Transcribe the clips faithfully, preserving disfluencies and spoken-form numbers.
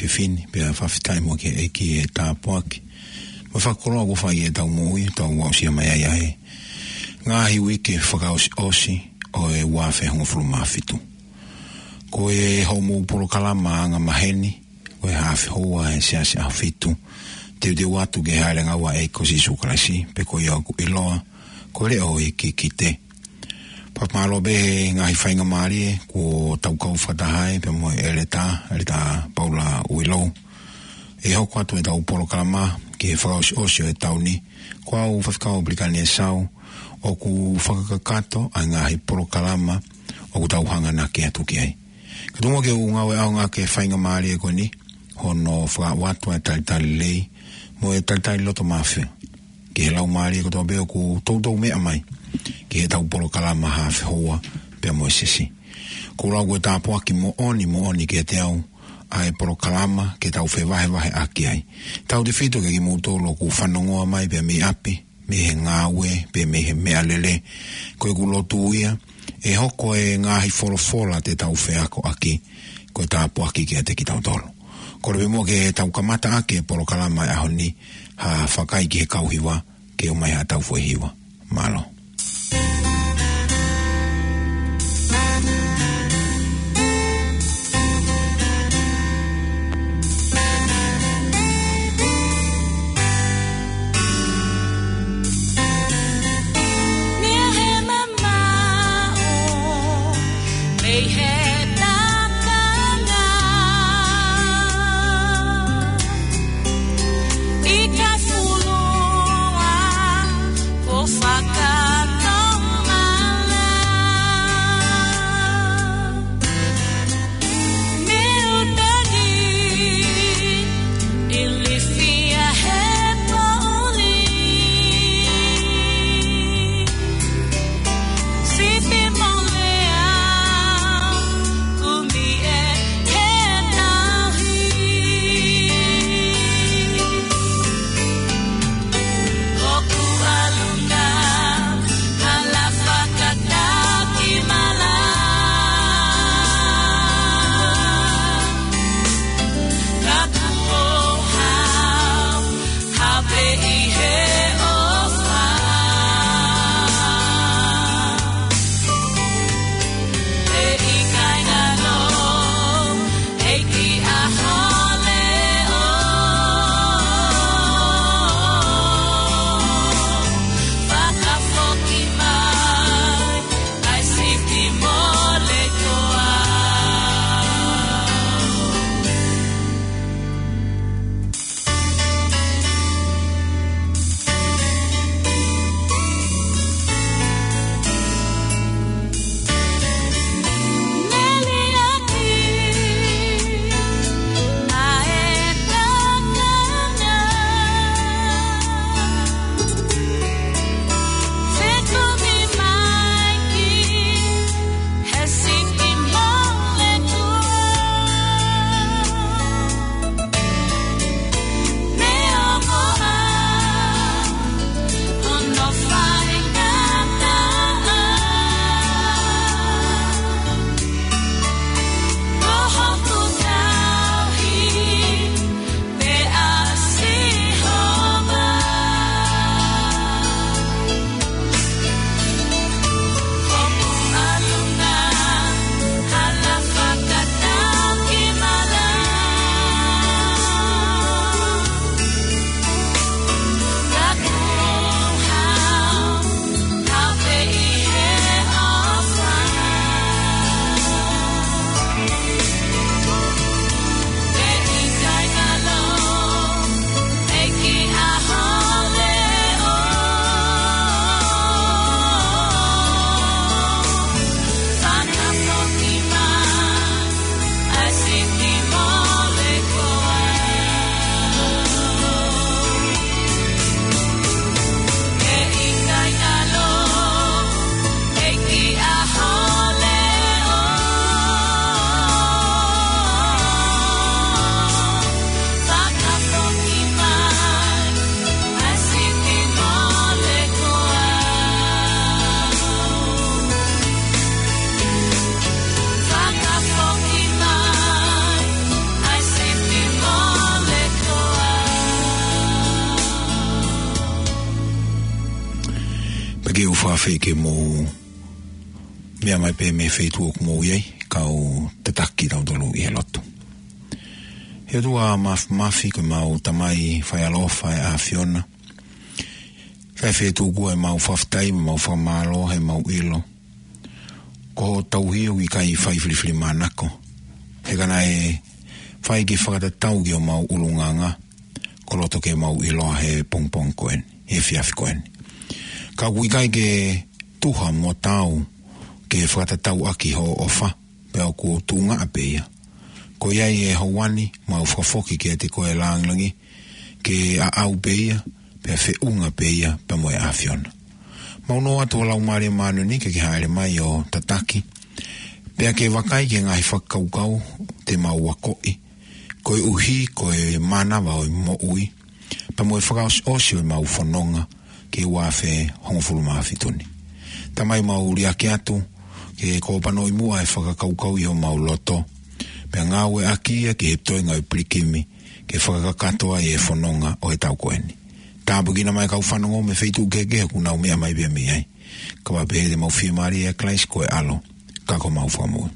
fefine, pea fakafetaʻi mo e ʻEiki he tāpuaki mo e fakakoloa kuo fai ʻi heʻetau moʻui, tau aʻusia mai ai ʻa e ngaahi uike fakaʻosiʻosi ʻo e ua afe hongofulu mā fitu. Ko e hoʻomou polokalama anga maheni, ko e Haafe Houa ʻa e Siasi ʻAhofitu, teuteu atu ki he hāʻele ʻa e ʻEiki ko Sīsū Kalaisi, pe ko ia ʻoku ʻiloa ko e Leʻo ʻo e Kikite. Fakamālō pē he ngaahi faingamālie kuo tau kau fakataha ai pea mo e ʻEletā, ʻEletā Paula Uilou. ʻE hoko atu ʻetau polokalama ki he fakaʻosiʻosi ʻo e taʻu ni. Ko au Faifekau Pelikani ʻEsau, ʻoku fakakakato ʻa e ngaahi polokalama ʻoku tau hanganaki atu ki ai. Ka tuku muʻa ke u ngāueʻaonga ki he faingamālie ko eni, hono fakauatu ʻa e talitali lelei mo e talitali loto māfia ki he laumālie kotoa pē ʻoku toutou meʻa mai ki heʻetau polokalama Haafe Houa pea mo e Siasi. Ko e lau ko e tāpuaki moʻoni, moʻoni kiate au ʻa e polokalama ke tau fevahevaheʻaki ai. Tautautefito kiate kimoutolu ʻoku fanongoa mai pea mei ʻapi, mei he ngāue, pe mei he meʻalele. Ko ʻeku lotu ia, ʻe hoko e ngaahi folofola te tau feakoʻaki ko e tāpuaki kiate kitautolu. Kole pē muʻa ke tau kamataʻaki e polokalama ʻo e ʻaho ni, ha vakai ki he kau hiva, ke ʻomai haʻatau foʻi hiva. Mālō. Ke u fakaafeʻi ke mou meʻa mai pē mei he feituʻu ʻoku mou ʻi ai, kau tataki kitautolu ʻi he lotu. ʻE ʻOtua Māfimafi, ko ʻemau Tamai faialofa ʻa e ʻAfiona. Fai fetuku ʻemau fakafetaʻi, ʻemau fakamālō, ʻemau ʻilo. Ko hoʻo tauhi ʻoku ʻikai fai filifilimānako. He ka naʻe fai ke fakatatau ki homau ʻulungaanga, ko loto ke mau ʻiloa he pongipongi ko eni, he efiafi ko eni. Ka ʻoku ʻikai ke tuha mo taau ke fakatatau ʻaki hoʻo ʻofa, pea ʻoku tuʻunga pē ia. Ko ia ʻi he houa ni, mau fakafoki kiate koe lāngilangi, ke ʻaʻau pē ia, pea feʻunga pē ia, pea mo e ʻAfiona. Mau nofo atu ʻa e Laumālie Māʻoniʻoni ke ke hāʻele mai ʻo tataki, pea ke vakai ki he ngaahi fakakaukau te mau akoʻi, koeʻuhi ko e mānava ʻo e moʻui, pea mo e fakaʻosiʻosi ʻo ʻemau fononga ki he ua afe hongofulu mā fitu ni. Tamai, mau liʻaki atu ke ke kōpanoʻi muʻa e fakakaukau ʻi homau loto, pea ngāueʻaki ia ki he toenga ʻo e pilikimi, ke fakakakato ai e fononga ʻo e taʻu ko eni. Tāpuekina mai e kau fanongo mei he feituʻu kehekehe ʻoku nau meʻa mai pē mei ai. Kae pehē te mau fiemālie ʻia Kalaisi ko e ʻAlo, ka ko homau Fakamoʻui.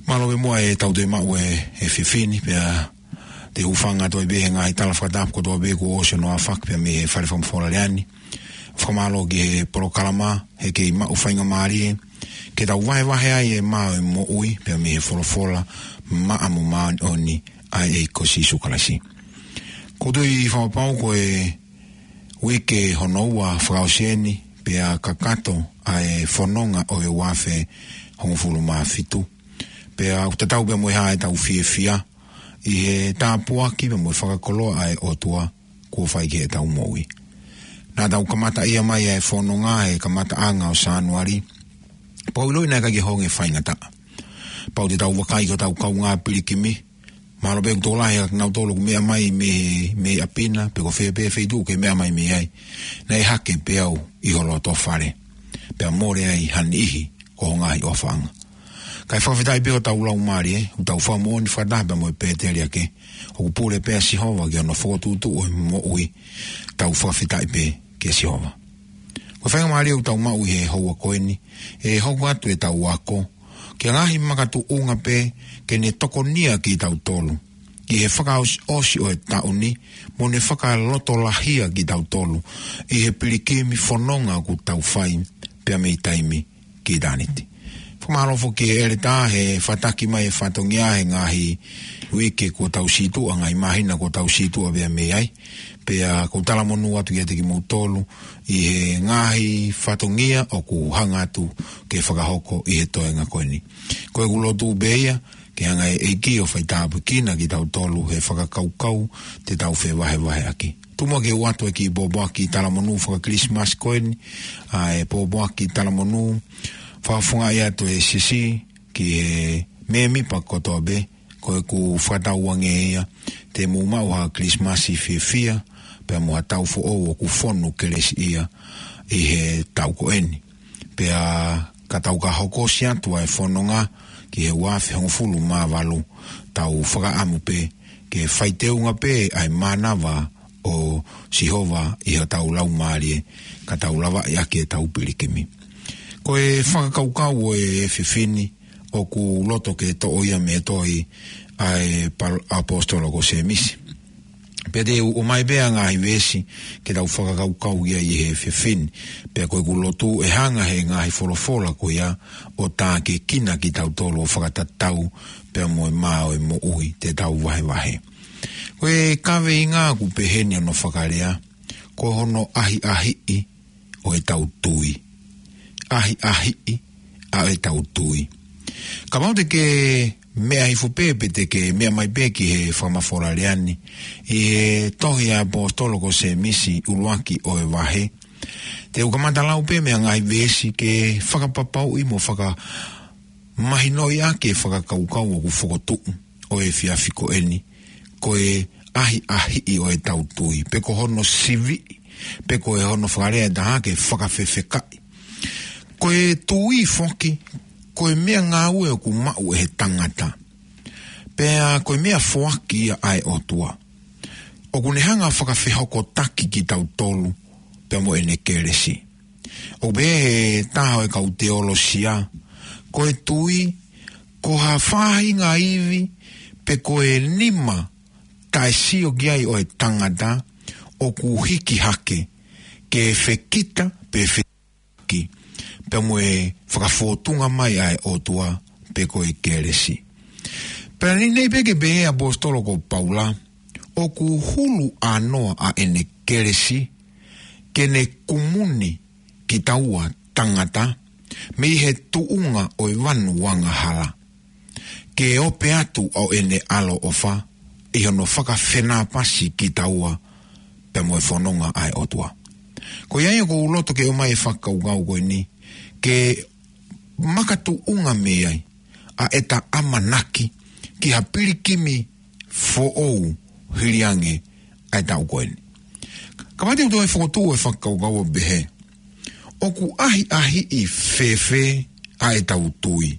Mālō pē muʻa ʻetau toe maʻu e, e efiafi ni, pea te u hūfanga atu ai pē he ngaahi tala fakatapu kotoa pē kuo ʻosi hono ʻafaki pē mei he fale fakamafola lea ni. Fakamālō ki he polokalama, he kei maʻu faingamālie ke tau vahevahe ai e mā ʻo e moʻui, pea mei he folofola maʻa mo māʻoniʻoni ʻa e ʻEiki ko Sīsū Kalaisi. ʻOku ou tui fakapapau ko e uike hono ua fakaʻosi eni, pea kakato ʻa e fononga ʻo e ua afe hongofulu mā fitu. Pea ʻoku tatau pē mo e hā ʻetau fiefia ʻi he tāpuaki pea mo e fakakoloa ʻa e ʻOtua kuo fai ki heʻetau moʻui. Naʻa tau kamataʻia mai ʻa e fononga he kamataʻanga ʻo Sānuali, pea ʻoku ou ʻiloʻi naʻe ʻikai ke honge faingataʻa. Pea ʻoku tau vakai ki hotau kaungā pilikimi, mahalo pē ʻoku tokolahi ʻa kinautolu ʻoku meʻa mai mei, mei ʻapi na, pe ko fē pē feituʻu ʻoku ke meʻa mai mei ai, naʻe hake pē au ʻi ho loto fale, pea mole ai ha niʻihi ʻo ho ngaahi ʻofaʻanga. Kae fakafetaʻi pē hotau laumālie, ʻoku tau fakamoʻoni fakataha pea mo e pēteliake, ʻoku pule pē ʻa Sihova ki hono fokotuʻutuʻu ʻo e moʻui, tau fakafetaʻi pē kia Sihova. Ko e faingamālie ʻoku tau maʻu ʻi he houa ko eni, ʻe hoko atu ʻetau ako ki ha ngaahi makatuʻunga pē ke ne tokonia kitautolu ʻi he fakaʻosiʻosi ʻo e taʻu ni, mo ne fakalotolahia kitautolu ʻi he pilikimi fononga ʻoku tau fai pea mei taimi ki ʻitāniti. Fakamālō foki ki he ʻeletā he fakataki mai e fatongia he ngaahi uike kuo tau situʻa, ngaahi māhina kuo tau situʻa pea mei ai. Pea ʻoku ou talamonū atu kiate kimoutolu ʻi he ngaahi fatongia ʻoku hanga atu ke fakahoko ʻi he toenga ko eni. Ko ʻeku lotu pē ia, ke hanga ʻe he ʻEiki ʻo faitāpuekina kitautolu he fakakaukau te tau fevahevaheʻaki. Tuku muʻa ke u ʻoatu e kiʻi pōpoaki talamonū faka-Kilisimasi ko eni, ʻa e pōpoaki talamonū fakafofongaʻi atu ʻe he Siasi ki he mēmipa kotoa pē, ko ʻeku fakatauange ia te mou maʻu ha Kilisimasi fiefia, pea mo ha taʻu foʻou ʻoku fonu kelesiʻia ʻi he taʻu ko eni. Pea ka tau ka hokosi atu ʻa e fononga ki he ua afe hongofulu mā valu, tau fakaʻamu pē ke faiteunga pē ʻa e mānava ʻo Sihova ʻi hotau laumālie, ka tau lavaʻi ʻaki ʻetau pilikimi. Ko e fakakaukau ʻo e efiafi ni, ʻoku loto ke toʻo ia mei he tohi ʻa e pal-, ʻaposetolo ko Sēmisi. Pea te u ʻomai pē ʻa e ngaahi veesi ke tau fakakaukau ia ʻi he efiafi ni. Pea ko ʻeku lotu ʻe hanga ʻe he ngaahi folofola ko ia ʻo tākiekina kitautolu ʻo fakatatau pea mo e mā ʻo e moʻui te tau vahevahe. Ko e kaveinga ʻoku peheni hono fakalea, ko hono ʻahiʻahiʻi ʻo ʻetau tui. ʻAhiʻahiʻi ʻa ʻetau tui. Kapau te ke meʻa hifo pē, pe te ke meʻa mai pē ki he fakamafola lea ni, ʻi he tohi ʻa e ʻaposetolo ko Sēmisi ʻuluaki ʻo e vahe, te u kamata lau pē mei he ngaahi veesi ke fakapapauʻi mo fakamahinoʻi ʻaki e fakakaukau ʻoku fokotuʻu ʻo e efiafi ko eni, ko e ʻahiʻahiʻi ʻo ʻetau tui, pe ko hono siviʻi, pe ko e hono fakalea ʻe taha ke fakafefekaʻi. Ko e tui foki, ko e meʻangāue ʻoku maʻu ʻe he tangata. Pea ko e meʻafoaki ia ʻa e ʻOtua. ʻOku ne hanga fakafehokotaki kitautolu pea mo ʻene kelesi. ʻOku pehē ʻe he taha ʻo e kau teolosia, ko e tui, ko ha faʻahinga ivi, pe ko e nima, taʻe sio ki ai ʻo e tangata, ʻoku hiki hake, ke fekita, pe fekita, pea mo e fakafōtunga mai ʻa e ʻOtua, pe ko e kelesi. Pea naʻe ʻi ai pē ke pehē ʻe he ʻaposetolo ko Paula, ʻoku hulu ʻānoa ʻa ʻene kelesi, ke ne kumuni kitaua tangata, mei he tuʻunga ʻo e vanu angahala. Ke ope atu ʻa ʻene ʻaloʻofa, ʻi hono fakafenāpasi kitaua, pea mo e fononga ʻa e ʻOtua. Ko ia ia ʻoku ou loto ke ʻomai e fakakaukau ko eni, ke makatuʻunga mei ai, ʻa ʻeta ʻamanaki, ki ha pilikimi foʻou hili ange ʻa e taʻu ko eni. Ka mate u toe fokotuʻu e fakakaukau ʻo pehē, ʻoku ʻahiʻahiʻi fēfē ʻa ʻetau tui.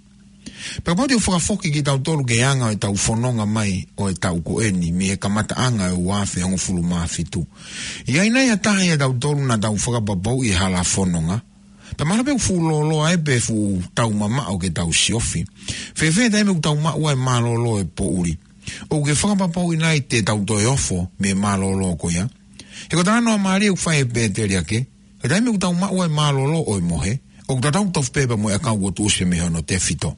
Pea kapau te u fakafoki kitautolu ki he anga ʻo ʻetau fononga mai ʻo e taʻu ko eni, mei he kamataʻanga ʻo e ua afe hongofulu mā fitu. ʻI ai nai ha taha ʻiate kitautolu naʻa tau fakapapauʻi e hala fononga. Pea mahalo pē ʻoku fuʻu lōloa ē pe fuʻu tau mamaʻo ke tau siofi. Fēfē taimi ʻoku tau maʻu ai e mālōlō ʻo e poʻuli. ʻOku ke fakapapauʻi nai te tau toe ofo mei he mālōlō ko ia. He ko e talanoa mālie ʻoku fai ʻe Pēteli ake. He taimi ʻoku tau maʻu ai e mālōlō ʻo e mohe, ʻoku tatau tofu pē pea mo e ʻakau kuo tuʻusi mei hono tefito.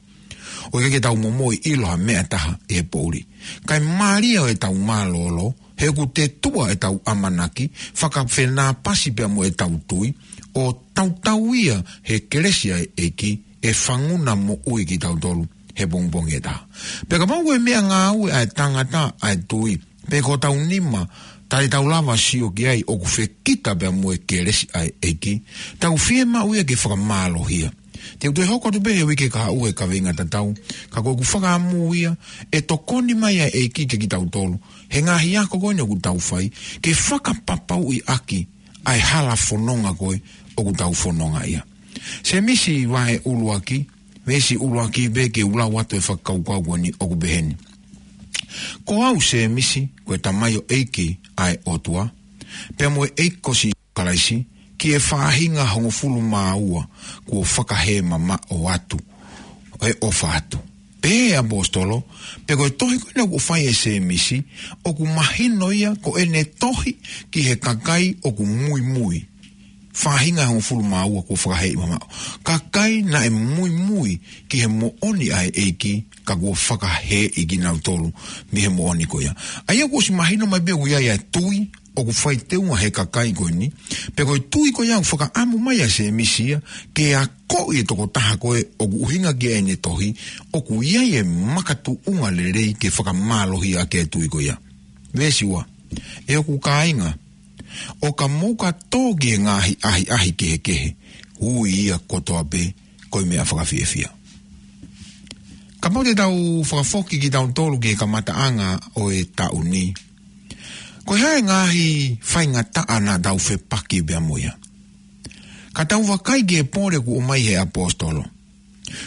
ʻOku ʻikai ke tau momoʻi ʻilo ha meʻa ʻe taha ʻi he poʻuli. Kae mālie ʻetau mālōlō, he ʻoku te tuʻa ʻetau ʻamanaki, fakafenāpasi pea mo ʻetau tui, ʻo tautau ia he kelesi ʻa e ʻEiki, ʻe fanguna moʻui kitautolu he pongipongi ʻe taha. Pea kapau ko e meʻangāue ʻa e tangata ʻa e tui, pe ko hotau nima, taʻe tau lava sio ki ai ʻoku fekita pea mo e kelesi ʻa e ʻEiki, tau fiemaʻu ia ke fakamālohia. Te u toe hoko atu pē he uike kahaʻu he kaveinga tatau, ka ko ʻeku fakaʻamu ia, ʻe tokoni mai ʻa e ʻEiki kia kitautolu, he ngaahi ako ko eni ʻoku tau fai, ke fakapapauʻi ʻaki ʻa e hala fononga ko ē ʻoku tau fononga ia. Sēmisi vahe ʻuluaki, veesi ʻuluaki pē ke u lau atu e fakakaukau ko eni ʻoku pehē ni. Ko au Sēmisi, ko e tamaioʻeiki ʻa e ʻOtua, pea mo e ʻEiki ko Sīsū Kalaisi, ki he faʻahinga hongofulu mā ua kuo fakahēmamaʻo atu, ʻe ʻofa atu. Pehē ʻe he ʻaposetolo, pea ko e tohi ko ena ʻoku fai ʻe Sēmisi, ʻoku mahino ia ko ʻene tohi ki he kakai ʻoku muimui. Faʻahinga hongofulu mā ua kuo fakahēmamaʻo. Kakai naʻe muimui ki he moʻoni ʻa e ʻEiki, ka kuo fakahēʻi kinautolu mei he moʻoni ko ia. ʻA ia kuo ʻosi mahino mai pē ʻoku ʻi ai ʻa e tui, ʻoku fai teunga he kakai ko eni, pea ko e tui ko ia ʻoku fakaʻamu mai ʻa Sēmisi ia, ke akoʻi e tokotaha ko ē ʻoku ʻuhinga ki ai ʻene tohi, ʻoku ʻi ai e makatuʻunga lelei ke fakamālohia ʻaki e tui ko ia. Veesi ua, ʻe hoku kāinga, ʻo ka mou ka tō ki he ngaahi ʻahiʻahi kehekehe, ui ia kotoa pē, ko e meʻa fakafiefia. Kapau te tau fakafoki kitautolu ki he kamataʻanga ʻo e taʻu ni. Ko e hā e ngaahi faingataʻa naʻa tau fepaki pea mo ia. Ka tau vakai ki he pole kuo ʻomai he ʻaposetolo.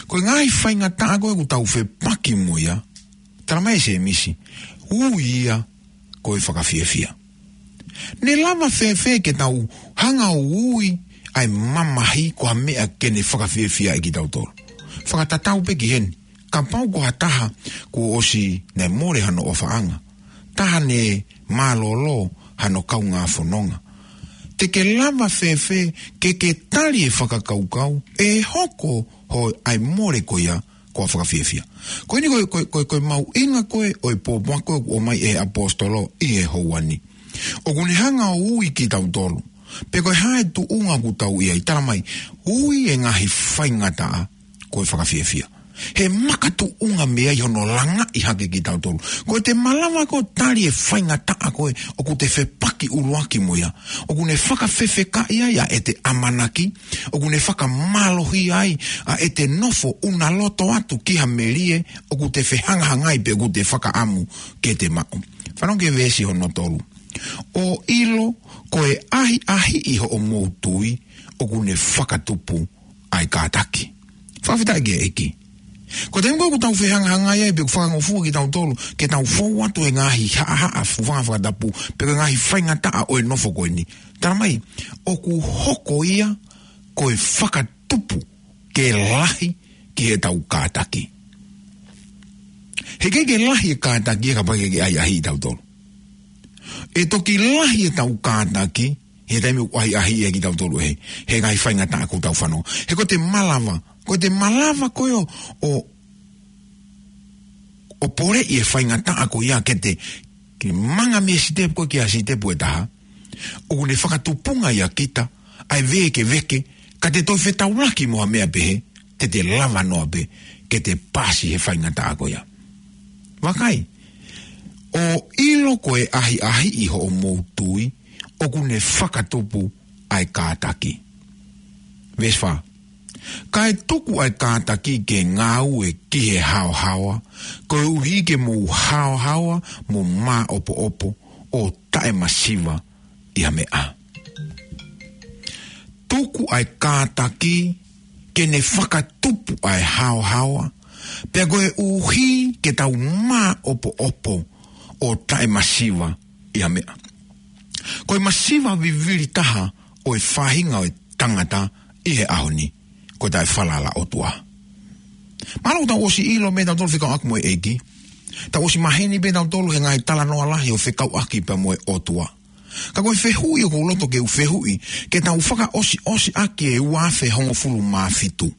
Ko e ngaahi faingataʻa ko ē ʻoku tau fepaki mo ia. Tala mai ʻe Sēmisi. Ui ia ko e fakafiefia. Ne lava fēfē ke tau hanga ʻo ui ʻa e mamahi ko ha meʻa ke ne fakafiefia ʻa kitautolu. Fakatatau pē ki heni. Kapau ko ha taha kuo ʻosi ne mole hano ʻofaʻanga. Taha ne mālōlō hano kaungā fononga. Te ke lava fēfē ke ke tali e fakakaukau, ʻe hoko hoʻo ʻai mole ko ia, ko e fakafiefia. Ko eni ko e, ko e, ko e, ko e mahuʻinga ko ē, ʻo e pōpoaki ko ē ʻoku ʻomai ʻe he ʻaposetolo ʻi he houa ni. ʻOku ne hanga ʻo ui kitautolu. Pe ko e hā e tuʻunga ʻoku tau ʻi ai, tala mai, ui e ngaahi faingataʻa, ko e fakafiefia. He makatuʻunga mei ai hono langaʻi hake kitautolu. Ko e te malava ko ē ʻo tali e faingataʻa ko ē, ʻoku te fepaki ʻuluaki mo ia. ʻOku ne fakafefekaʻi ai ʻa ʻete ʻamanaki, ʻoku ne fakamālohia ai ʻa ʻete nofo ʻuna loto atu ki ha melie, ʻoku te fehangahangai pe ʻoku te fakaʻamu ke te maʻu. Fanongo ki he veesi hono tolu. ʻO ʻilo ko e ʻahiʻahiʻi hoʻomou tui, ʻoku ne fakatupu ʻa e kātaki. Fakafetaʻi ki he ʻEiki. Ko e taimi ko ē ʻoku tau fehangahangai ai, pe ʻoku fakangofua kitautolu, ke tau fou atu e ngaahi haʻahaʻa fufanga fakatapu, pe ko e ngaahi faingataʻa ʻo e nofo ko eni. Tala mai, ʻoku hoko ia, ko e fakatupu ke lahi ki heʻetau kātaki. He ʻikai ke lahi e kātaki ia kapau ʻe ʻikai ke ʻahiʻahiʻi kitautolu. ʻE toki lahi ʻetau kātaki he taimi ʻoku ʻahiʻahiʻi ai kitautolu ʻe he, he ngaahi faingataʻa ʻoku tau fanongo. He ko ʻete malava, ko ʻete malava ko ē ʻo, ʻo, ʻo poleʻi e faingataʻa ko ia ke te, ke manga mei he sitepu ko ē ki he sitepu ʻe taha, ʻoku ne fakatupunga ʻia kita ʻa e vēkeveke, ka te toe fetaulaki mo ha meʻa pehē, te te lava noa pē ke te pasi he faingataʻa ko ia. Vakai, ʻo ʻilo ko e ʻahiʻahiʻi hoʻomou tui, ʻoku ne fakatupu ʻa e kātaki. Veesi fā. Kae tuku ʻa e kātaki ke ngāue ki he haohaoa, koeʻuhi ke mou haohaoa mo māʻopoʻopo ʻo taʻemasiva ʻi ha meʻa. Tuku ʻa e kātaki ke ne fakatupu ʻa e haohaoa, pea koeʻuhi ke tau māʻopoʻopo ʻo taʻemasiva ʻi ha meʻa. Ko e masiva vivili taha ʻo e faʻahinga ʻo e tangata ʻi he ʻaho ni, ko e taʻefalala ʻOtua. Mahalo tau ʻosi ʻilo meʻa tautolu fekauʻaki mo e ʻEiki. Tau ʻosi maheni pē tautolu he ngaahi talanoa lahi ʻo fekauʻaki pea mo e ʻOtua. Ka ko e fehuʻi ʻoku ou loto ke u fehuʻi, ke tau fakaʻosiʻosi ʻaki e ua afe hongofulu mā fitu.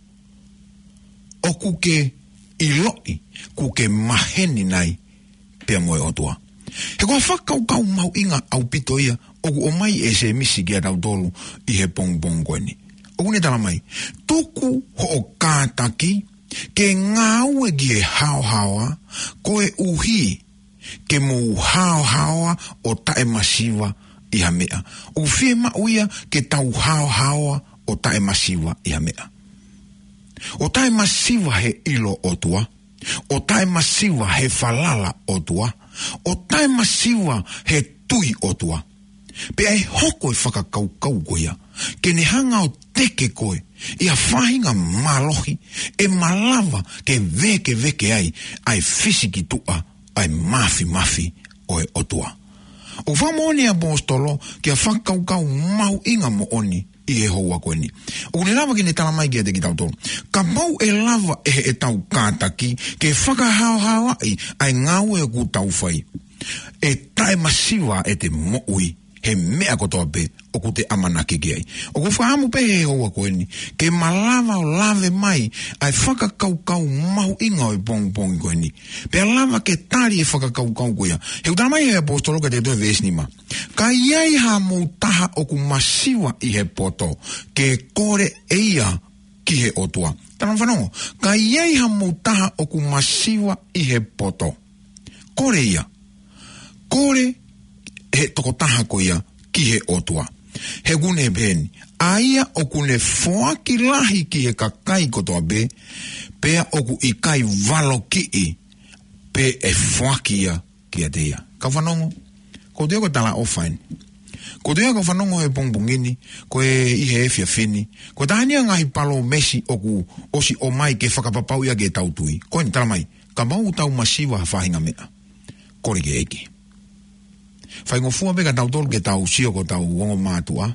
ʻOku ke ʻiloʻi, ʻoku ke maheni nai pea mo e ʻOtua? He ko e fakakaukau mahuʻinga ʻaupito ia ʻoku ʻomai ʻe Sēmisi kiate kitautolu ʻi he pongipongi ko eni. ʻOku ne tala mai, tuku hoʻo kātaki ke ngāue ki he haohaoa, koeʻuhi ke mou haohaoa ʻo taʻemasiva ʻi ha meʻa. ʻOku fiemaʻu ia ke tau haohaoa ʻo taʻemasiva ʻi ha meʻa. ʻO taʻemasiva he ʻilo ʻOtua, ʻo taʻemasiva he falala ʻOtua, ʻo taʻemasiva he tui ʻOtua. Pea ʻe hoko e fakakaukau ko ia ke ne hanga ʻo teke koe ʻi ha faʻahinga mālohi ʻe malava ke vēkeveke ai ʻa e fisikituʻa ʻa e māfimafi ʻo e ʻOtua. ʻOku fakamoʻoni ʻa e ʻaposetolo ki ha fakakaukau mahuʻinga moʻoni ʻi he houa ko eni. ʻOku ne lava ke ne tala mai kiate kitautolu, kapau ʻe lava ʻe heʻetau kātaki ke fakahaohaoaʻi ʻa e ngāue ʻoku tau fai, ʻe taʻemasiva ʻete moʻui he meʻa kotoa pē ʻoku te ʻamanaki ki ai. ʻOku ou fakaʻamu pē he houa ko eni ke malava ʻo lave mai ʻa e fakakaukau mahuʻinga ʻo e pongipongi ko eni, pea lava ke tali e fakakaukau ko ia. He ʻoku tala mai he ʻaposetolo kiate kitautolu he veesi nima, ka ʻi ai hamou taha ʻoku masiva ʻi he poto, ke kole ʻe ia ki he ʻOtua. Tala fanongo, ka ʻi ai hamou taha ʻoku masiva ʻi he poto, kole ia. Kole he tokotaha ko ia ki he ʻOtua. He ʻoku ne pehē ni, ʻa ia ʻoku ne foaki lahi ki he kakai kotoa pē, pea ʻoku ʻikai valokiʻi pe ʻe foaki ia kiate ia. Kau fanongo, ko e toe ko e talaʻofa eni. Ko e toe kau fanongo he pongipongi ni, ko e ʻi he efiafi ni, ko e taha eni ʻa e ngaahi palōmesi ʻoku ʻosi ʻomai ke fakapapauʻi ʻaki ʻetau tui. Ko eni tala mai, kapau ʻoku tau masiva ha faʻahinga meʻa, kole ki he ʻEiki. Faingofua pē ka tautolu ke tau sio ko hotau ongo mātuʻa.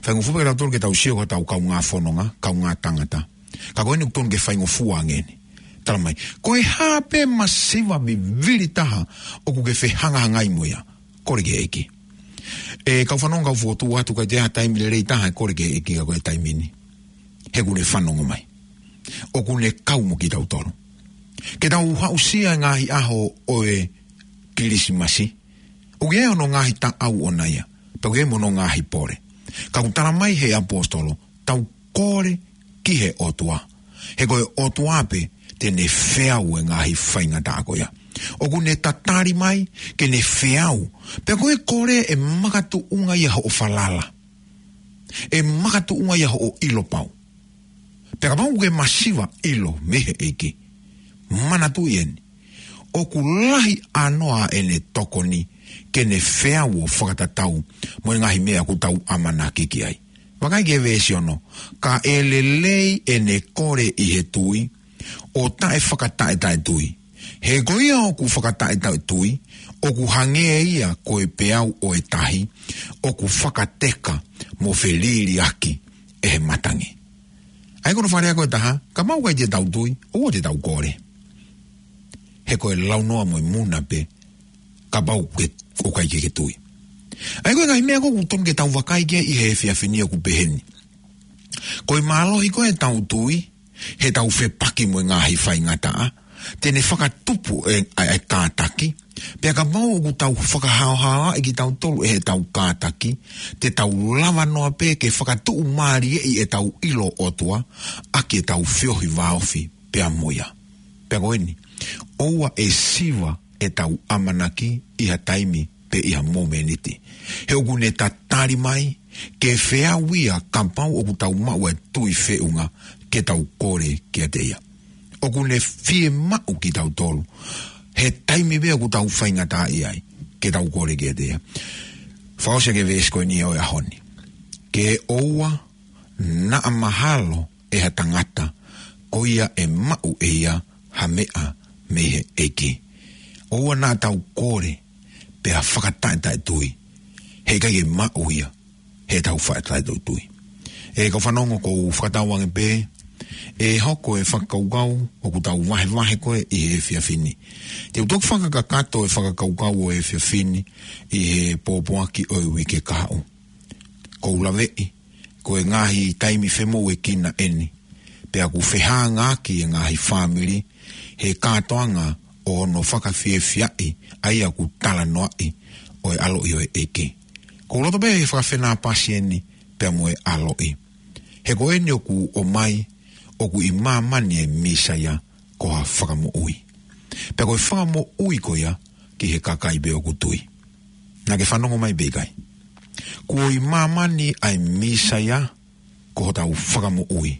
Faingofua pē ka tautolu ke tau sio ko hotau kaungā fononga, kaungā tangata. Ka ko eni ʻoku tonu ke faingofua ange eni. Tala mai, ko e hā pē masiva vivili taha ʻoku ke fehangahangai mo ia, kole ki he ʻEiki. ʻE kau fanongo, kau fokotuʻu atu, ʻikai toe ʻi ai ha taimi lelei taha ʻe kole ki he ʻEiki ka ko e taimi ni. He ʻoku ne fanongo mai. ʻOku ne kau mo kitautolu. Ke tau aʻusia e ngaahi ʻaho ʻo e Kilisimasi, ʻoku ʻi ai hono ngaahi taʻau ʻoʻona ia, pea ʻoku ʻi ai mo hono ngaahi pole. Ka ʻoku tala mai he ʻaposetolo, tau kole ki he ʻOtua. He ko e ʻOtua pē te ne feau e ngaahi faingataʻa ko ia. ʻOku ne tatali mai ke ne feau. Pea ko e kole ʻe makatuʻunga ia hoʻo falala. ʻE makatuʻunga ia hoʻo ʻilo pau. Pea kapau ʻoku ke masiva ʻilo mei he ʻEiki, manatuʻi eni, ʻoku lahi ʻānoa ʻene tokoni ke ne feau ʻo fakatatau mo e ngaahi meʻa ʻoku tau ʻamanaki ki ai. Vakai ki he veesi ono, ka ʻe lelei ʻene kole ʻi he tui, ʻo taʻefakataʻetaʻetui. He ko ia ʻoku fakataʻetaʻetui, ʻoku hangē ia ko e peau ʻo e tahi, ʻoku fakateka mo feliliaki ʻe he matangi. ʻA ia ko hono fakalea ko ē ʻe taha, kapau ʻoku ʻikai te tau tui, ʻoua te tau kole. He ko e launoa mo e muna pē, kapau ʻoku ke, ʻoku ʻikai ke ke tui. ʻA ia ko e ngaahi meʻa ko ē ʻoku totonu ke tau vakai ki ai ʻi he efiafi ni ʻoku peheni. Ko e mālohi ko ē ʻetau tui, heʻetau fepaki mo e ngaahi faingataʻa, te ne fakatupu e, ʻa e kātaki, pea kapau ʻoku tau fakahaohaoaʻi kitautolu ʻe heʻetau kātaki, te tau lava noa pē ke fakatuʻumālieʻi ʻetau ʻilo ʻOtua, ʻaki ʻetau feohi vāofi pea mo ia. Pea ko eni, ʻoua ʻe siva ʻetau ʻamanaki ʻi ha taimi pe ʻi ha momeniti. He ʻoku ne tatali mai, ke feau ia kapau ʻoku tau maʻu e tui feʻunga ke tau kole kiate ia. ʻOku ne fiemaʻu kitautolu, he taimi pē ʻoku tau faingataʻaʻia ai, ke tau kole kiate ia. Fakaʻosi ʻaki e veesi ko eni ʻo e ʻaho ni. Ke ʻoua naʻa mahalo ʻe ha tangata, ko ia ʻe maʻu ʻe ia ha meʻa mei he ʻEiki. ʻOua naʻa tau kole, pea fakataʻetaʻetui, he ʻikai ke maʻu ia heʻetau fakataʻetaʻetui. ʻE kau fanongo, ʻoku ou fakatauange pē ʻe hoko e fakakaukau ʻoku tau vahevahe ko ē ʻi he efiafi ni. Te u toki fakakakato e fakakaukau ʻo e efiafi ni ʻi he pōpoaki ʻo e uike kahaʻu. ʻOku ou laveʻi, ko e ngaahi taimi femoʻuekina eni, pea ʻoku fehāngaaki e ngaahi fāmili he kātoanga ʻo hono fakafiefiaʻi ʻa ia ʻoku talanoaʻi ʻo e ʻaloʻi ʻo e ʻEiki. ʻOku ou loto pē he fakafenāpasi eni pea mo e ʻaloʻi. He ko eni ʻoku ʻomai, ʻoku ʻi māmani e Mīsaia ko ha fakamoʻui. Pea ko e fakamoʻui ko ia ki he kakai pē ʻoku tui. Naʻa ke fanongo mai pe ʻikai? Kuo ʻi māmani ʻa e Mīsaia ko hotau fakamoʻui.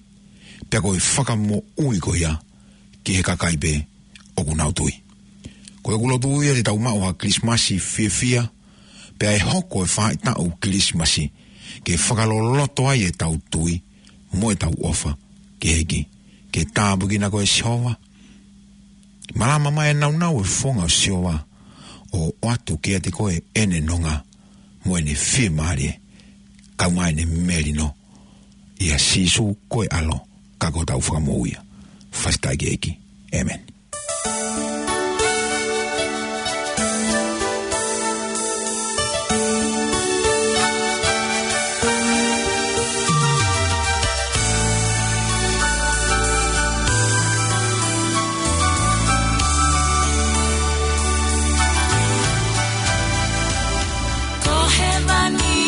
Pea ko e fakamoʻui ko ia ki he kakai pē ʻoku nau tui. Ko ʻeku lotu ia te tau maʻu ha Kilisimasi fiefia, pea ʻe hoko e faʻahitaʻu Kilisimasi ke fakaloloto ai ʻetau tui mo ʻetau ʻofa ki he ʻEiki. Ke tāpuekina koe ʻe Sihova. Malama mai e nāunau e fofonga ʻo Sihova, ʻo ʻoatu kiate koe ʻene nonga mo ʻene fiemālie, kae ʻumaʻā ʻene melino, ʻia Sīsū ko e ʻAlo ka ko hotau Fakamoʻui ia. Fakafetaʻi ki he ʻEiki. ʻĒmeni. Ko hēvani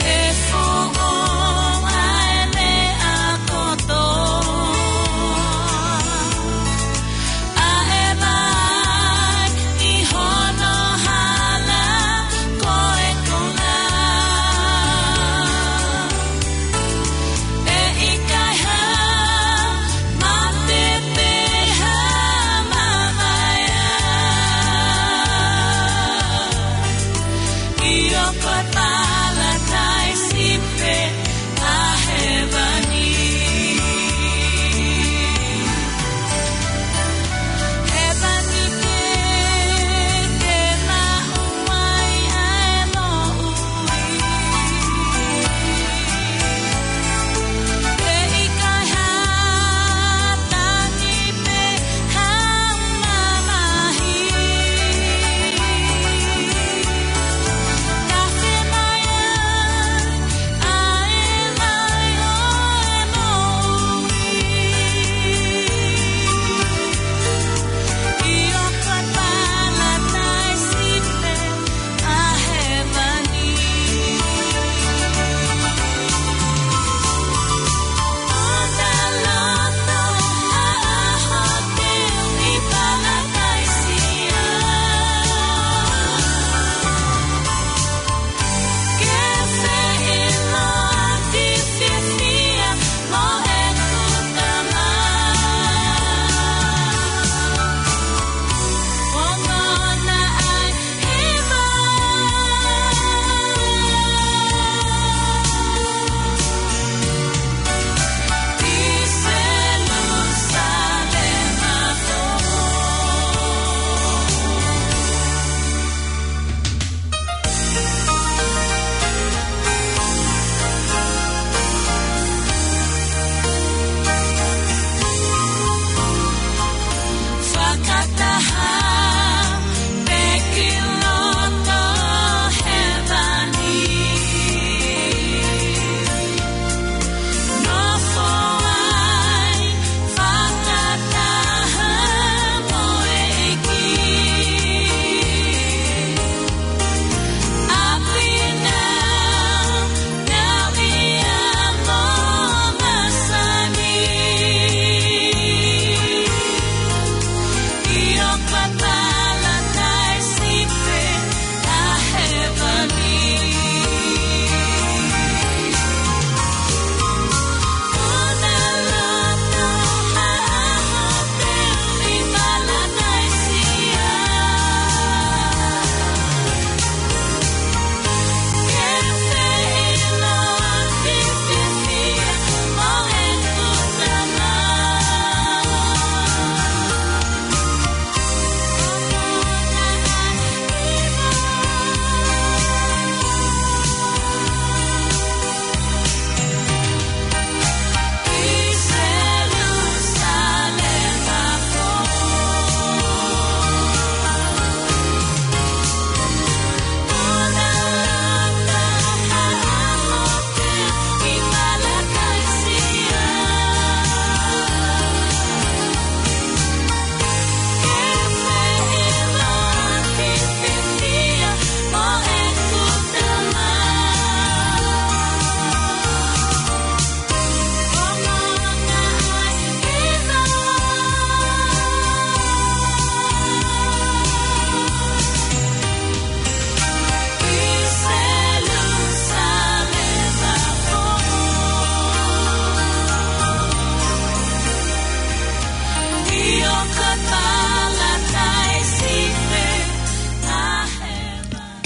ʻe foʻou ʻa e meʻa kotoa.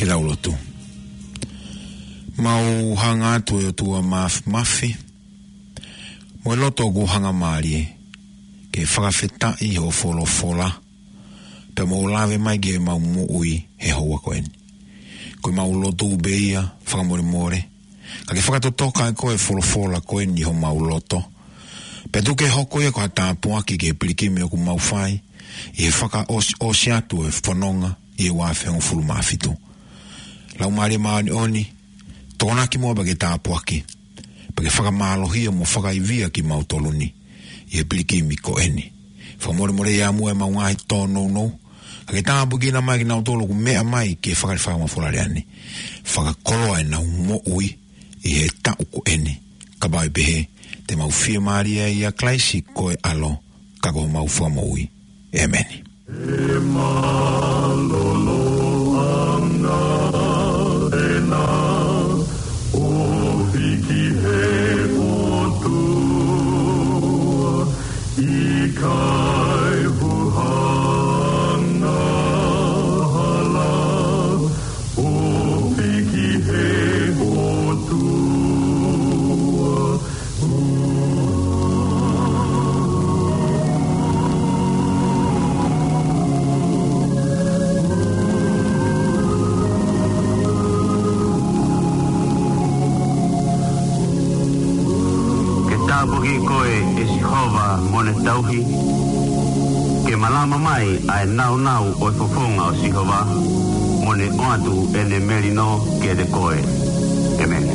Ke tau lotu. Mau hanga atu ʻe ʻOtua Māfimafi, mo e loto ʻoku hangamālie, ke fakafetaʻi hoʻo folofola, pea mo lave mai ki heʻemau moʻui he houa ko eni. Ko ʻemau lotu pē ia, fakamolemole, ka ke fakatotoka ʻe koe e folofola ko eni ʻi homau loto. Pea tuku ke hoko ia ko ha tāpuaki ki he pilikimi ʻoku mau fai, ʻi he fakaʻosiʻosi atu e fononga ʻi he ua afe hongofulu mā fitu. Laumālie Māʻoniʻoni, tokonaki muʻa pea ke tāpuaki, pea ke fakamālohia mo fakaivia kimautolu ni, ʻi he pilikimi ko eni. Fakamolemole ʻi muʻa ʻemau ngaahi tōnounou, ka ke tāpuekina mai kinautolu ʻoku meʻa mai ki he fakalifama folalia ni. Fakakoloa ʻenau moʻui ʻi he taʻu ko eni, kapau ʻe pehē, te mau fiemālie ʻia Kalaisi ko e ʻAlo, ka ko homau Fakamoʻui. ʻĒmeni. ʻE mālōlō ʻanga ʻena ʻofi ki he ʻOtua, ʻikai huhanga hala, ʻofi ki he ʻOtua. Ke tāpuakiʻi koe ʻe Sihova mo ʻene tauhi, ke malama mai ʻa e nāunau ʻo e fofonga ʻo Sihova, mo ne ʻoatu ʻene melino kiate koe. ʻĒmeni.